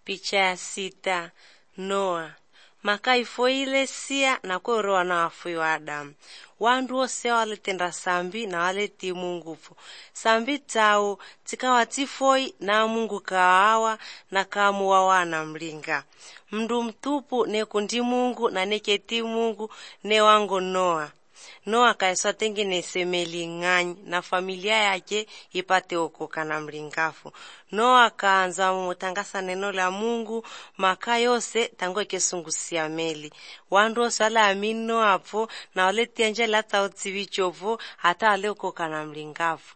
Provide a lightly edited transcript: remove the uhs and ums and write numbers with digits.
Picha ya 6. Noa. Makaifoile sia na kuroa na wafu wa Adamu. Wandu wose waletenda sambi na waleti Mungufu. Sambi tao tikawa tifoi na Mungu kawawa na kamuwa wana mlinga. Mndu mtupu ne kundi Mungu na neketi Mungu ne wangu Noa. Noa kaeswa tengeneze meli ng'anyi na familia yake ipate okoka na mlingafu. Noa kaanza mutangasa neno la Mungu maka yose tango kesungusia meli. Wandu wose wala amini Noa hapo na wale tianjela tauti vichovu hata wale okoka na mlingafu.